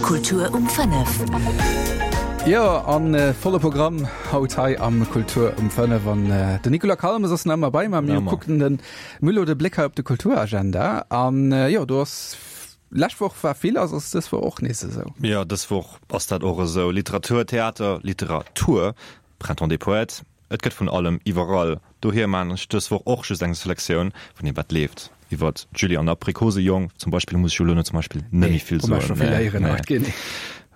Kultur um 5. Jo, an volle Programm haut hei am Kultur um 5. An den Nicolas Calmes ass nach ëmmer bei mer. Mir kucken den Müllo de Bléck hei op de Kulturagenda. An jo, do ass lescht Woch war vill, ass ass dës Woch och nees esou? Jo, dës Woch ass dat och esou. Literatur, Theater, Literatur, Printemps des Poètes, Et gëtt vun allem iwwerall. Dohier maan ech dës Woch och just eng Selektioun vun deem wat leeft. Iwwert d'Julie an Aprikosejong zum Beispill muss ech jo elo net zum Beispill net méi vill soen. Nee.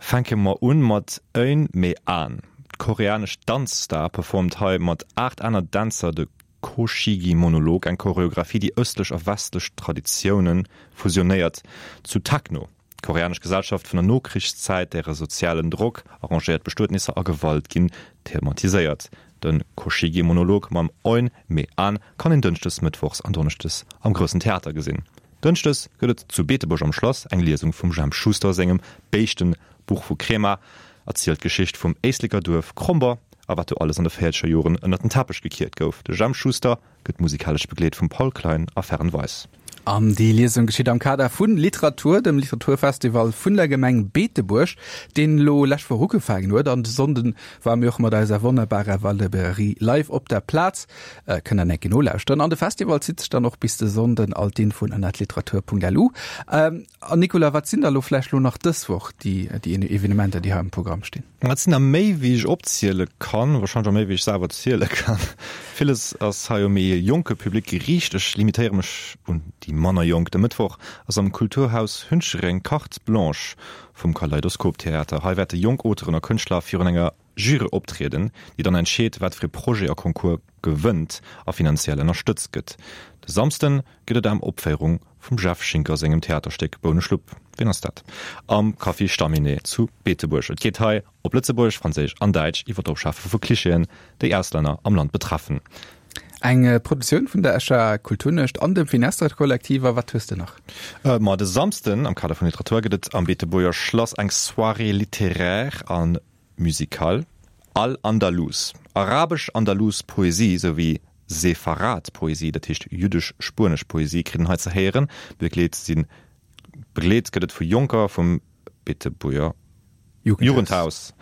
Fänke mer un mat Eun Me Ahn. D'koreanesch Danzstar performt hei mat 8 aner Dänzer de Koshigi Monolog, eng Choreographie déi ëstlech a westlech Traditioune fusionéiert zu Techno. D'koreanesch Gesellschaft vun der Nokrichszäit, däre sozialen Drock, arrangéiert Bestuetnisser a Gewalt ginn thematiséiert. De Koshigi-Monolog mam Eun Me Ahn kann een dënschdes, mëttwochs an donneschdes am Groussen Theater gesinn. Dënschdes gëtt et zu Beetebuerg am Schlass eng Liesung vum Jemp Schuster sengem Béischten Buch vu Krema, erzielt d'Geschicht vum Éisleker Duerf Kromber a wat do alles an de véierzeger Joren ënnert den Teppech gekiert gouf. De Jemp Schuster Gëtt musikalesch begleet vum Paul Klein a Fern Weis. An déi Liesung geschitt am Kader vu Literatur, dem Literaturfestival vun der Gemeng Beetebuerg, deen elo lescht Woch ugefaangen huet. An de Sonnden ware mir och mat eiser wonnerbarer Valdeberie live op der Plaz. Kënnt der enke nolauschteren. An de Festival zitt sech dann och bis de Sonnden. All d'Infoen ënnert literatur.lu. An Nicolas, wat sinn da lo vläicht lo nach dës Woch déi déi Evenementer, déi hei am Programm stinn? Et sinn der méi wéi ech opziele kann, wahrscheinlech och méi wéi ech selwer ziele kann. Villes ass hei u méi e jonke Public geriicht. Ech limitéiere mech un déi manner Jonk. De Mëttwoch ass am Kulturhaus Hunchereng Carte Blanche vum Kaleidoskop Theater. Hei wäerte jonk Auteuren a Kënschtler virun enger Jury optrieden, déi dann entscheet, wat fir e Projet a Concours gewënnt a finanziell ënnerstëtzt gëtt. De Samsden gëtt et eng Opféierung vum Jeff Schinker sengem Theaterstéck Bouneschlupp, ween ass dat? am Café Stamminet zu Beetebuerg. Et geet hei op Lëtzebuergesch, Franséisch an Däitsch iwwer d'Opschafe vu Klischeeën, déi Auslänner am Land betreffen. Eng Produktioun vun der Escher Kulturnuecht an dem Finestre Kollektiv. A wat hues de nach? Ma de Samsden am Kader vun Literatur gëtt et am Beetebuerger Schlass eng Soirée littéraire an musicale. Al-Andalus, Arabesch-Andalus Poesie souwéi Sepharad Poesie, dat heescht jüddesch-spuenesch Poesie, kritt een hei ze héieren. Begleet sinn begleet gëtt et vu Jonker vum Beetebuerger Jugendhaus.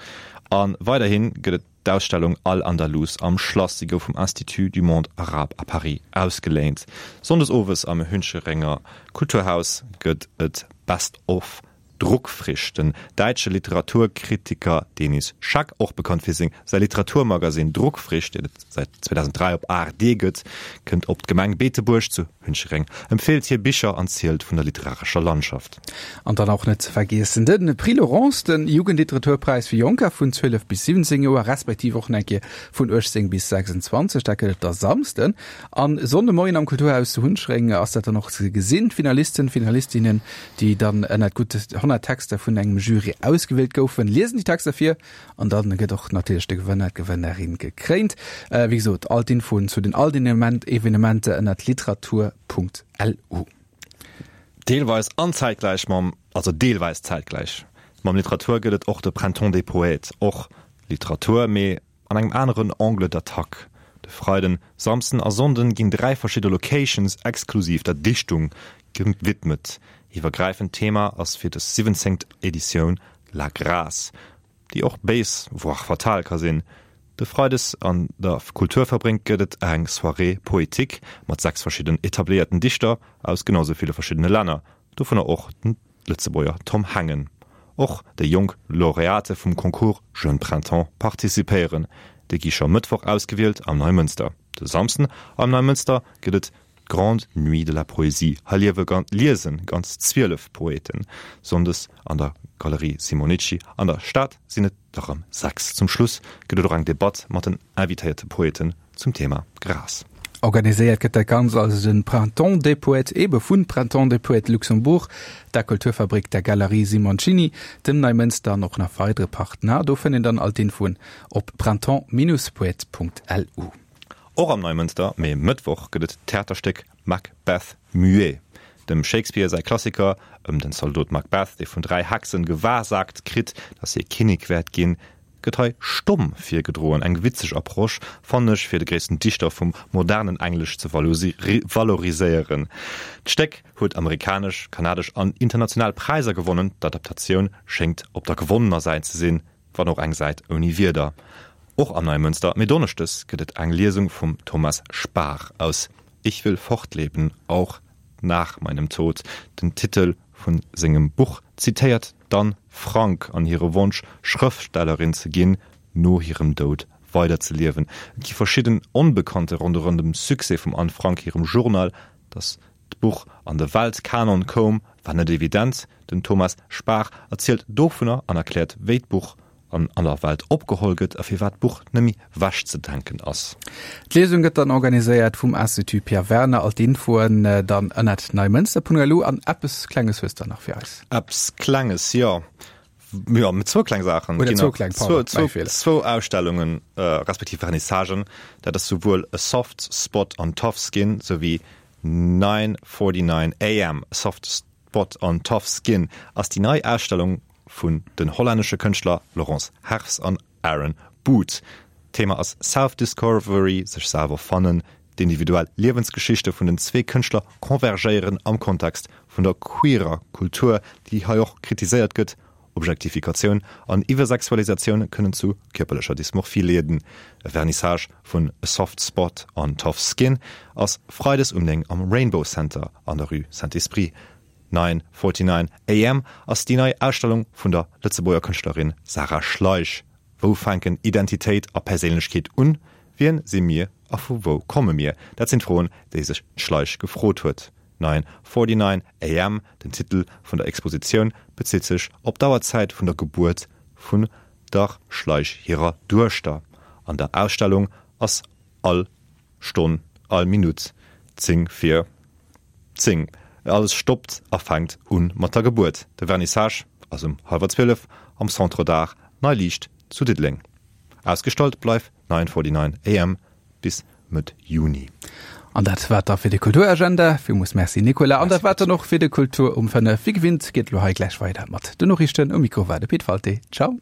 A weiderhi gëtt et d'Ausstellung Al-Andalus am Schlass. Si gouf vum Institut du Monde Arabe à Paris ausgeléint. Sonndes owes am Huncherenger Kulturhaus gëtt et Best of Druckfrisch, Den däitsche Literaturkritiker Denis Schack, och bekannt fir seng säi Literaturmagasinn Druckfrisch, deen et säit 2003 op ARD gëtt, kënnt op d'Gemeng Beetebuerg zu Hunchereng, empfeelt hir Bicher an zielt vun der literarescher Landschaft. An dann och net ze vergiessen de Prix Laurence, de Jugendliteraturpräis fir Jonker vun 12 bis 17 Joer, respektiv och nach eng Kéier vun 18 bis 26. Dat gëtt et da Samsden an Sonndemoien am Kulturhaus zu Hunchereng ass dat dann och ze gesinn. D'Finalisten, d'Finalistinnen déi dann ënnert gutt 100 Texter vun engem Jury ausgewielt goufen, liesen déi Texter vir an dann gëtt och natierlech de Gewënner, d'Gewënnerin gekréint. Wéi gesot, all d'Infoen zu den all den Evenementer ënnert literatur.lu. Deelweis an zäitgläich mam, also deelweis zäitgläich mam Literatur gëtt et och de Printemps des Poètes, och Literatur, mee An engem aneren Angle d'attaque. De Freiden, Samsden a Sonnden ginn 3 verschidde Locations exklusiv der Dichtung gewidmet. Iwwergräifend Thema ass fir des 17. Editioun La Grâce, déi och béis, voire fatal ka sinn. De Freides an der Kulturfabrik gëtt et eng Soirée poétique mat 6 verschidden etabléierten Dichter aus genau sou ville verschiddene Länner, dovunner och den Lëtzebuerger Tom Hengen. Och déi jonk Laureate vum Concours Jeune Printemps participéieren. Déi gi scho Mëttwoch ausgewielt am Neimënster. De Samsden am Neimënster gëtt et d'Grande Nuit de la Poésie. Hei liewe liese ganz 12 Poeten. Sonndes an der Galerie Simonicci an der Stad sinn et der rëm 6. Zum Schluss gëtt et och eng Debatt mat den invitéierte Poeten zum Thema Gras. Organiséiert gëtt dat Ganzt also den Printemps des Poètes ebe vun Printemps des Poètes Luxembourg, der Kulturfabrik, der Galerie Simoncini, dem Neimënster an och nach weidere Partner. Do fënnt een dann all d'Infoen op printemps-poètes.lu. Och am Neimënster, mee Mëttwoch, gëtt et d'Theaterstéck Macbeth muet, dem Shakespeare säi Klassiker ëm den Zaldot Macbeth, dee vun 3 Hexen gewahrsaagt kritt, datt hie Kinnek wäert ginn. Gëtt hei stomm virgedroen. Eng witzeg Approche, fannen ech, fir de gréissten Dichter vum modernen Englesch ze valoriséieren. D'Stéck huet amerikanesch, kanadesch an international Präisser gewonnen. D'Adaptatioun schéngt op der gewonnener Säit ze sinn, wann och eng Säit ouni Wierder. Och am Neimënster, mee donneschdes gëtt et eng Liesung vum Thomas Spahr aus Ich will fortleben, auch nach meinem Tod. Den Titel vun sengem Buch zitéiert d'Anne Frank an hire Wonsch, Schrëftstellerin ze ginn, no hirem Doud weiderzeliewen. Et gi verschidden Onbekannte ronderëm dem Succès vum Anne Frank hirem Journal. Datt d'Buch an de Weltkanon koum, war net evident. Den Thomas Spahr erzielt dovunner an erkläert, wéi d'Buch an aller Welt opgeholl gëtt a firwat d'Buch nëmme wechzedenken ass. D'Liesung gëtt dann organiséiert vum Institut Pierre Werner. All d'Infoen dann ënnert neimënster.lu. An eppes Klenges hues de nach fir eis? Eppes Klenges, jo. Jo, mee zwou kleng Saachen. Oder zwou kleng, pardon, mäi Feeler. Zwou Ausstellungen, respektiv Vernissagen. Dat ass souwuel A Soft Spot on Tough Skin souwéi 9:49 AM. A Soft Spot on Tough Skin ass déi nei Ausstellung vun den hollännesche Kënschtler Laurence Herfs an Aaron Boot. D'Thema ass Self-Discovery, sech selwer fannen. D'individuell Liewensgeschichte vun den zwee Kënschtler convergéieren am Kontext vun der queerer Kultur, déi hei och kritiséiert gëtt. Objektifikatioun an Iwwersexualisatioun kënnen zu kierperlecher Dysmorphie leeden. E Vernissage vun A Soft Spot on Tough Skin ass freides um 9 am Rainbow Center an der Rue Saint-Esprit. 9:49 AM ass déi nei Ausstellung vun der Lëtzebuerger Kënschtlerin Sarah Schleich. Wou fänken Identitéit a Perséinlechkeet un? Wien si mir a vu wou komme mir? Dat sinn d'Froen, déi sech d'Schleich gefrot huet. 9:49 AM, den Titel vun der Expositioun, bezitt sech op d'Auerzäit vun der Gebuert vun der Schleich hirer Duechter. An der Ausstellung ass all Stonn, all Minutt 10 vir 10. Alles stoppt a fänkt un mat der Gebuert. De Vernissage ass um hallwer 12 am Centre d'Art Nei Liicht zu Diddeleng. Ausgestallt bleift 9:49 am bis Mëtt Juni. An dat war et da fir de Kulturagenda. Villmools Merci Nicolas. An dat war et dann och fir de Kultur um 5. Wéi gewinnt geet elo hei gläich weider mat den Noriichten. Um Mikro war de Pit Walté. Ciao.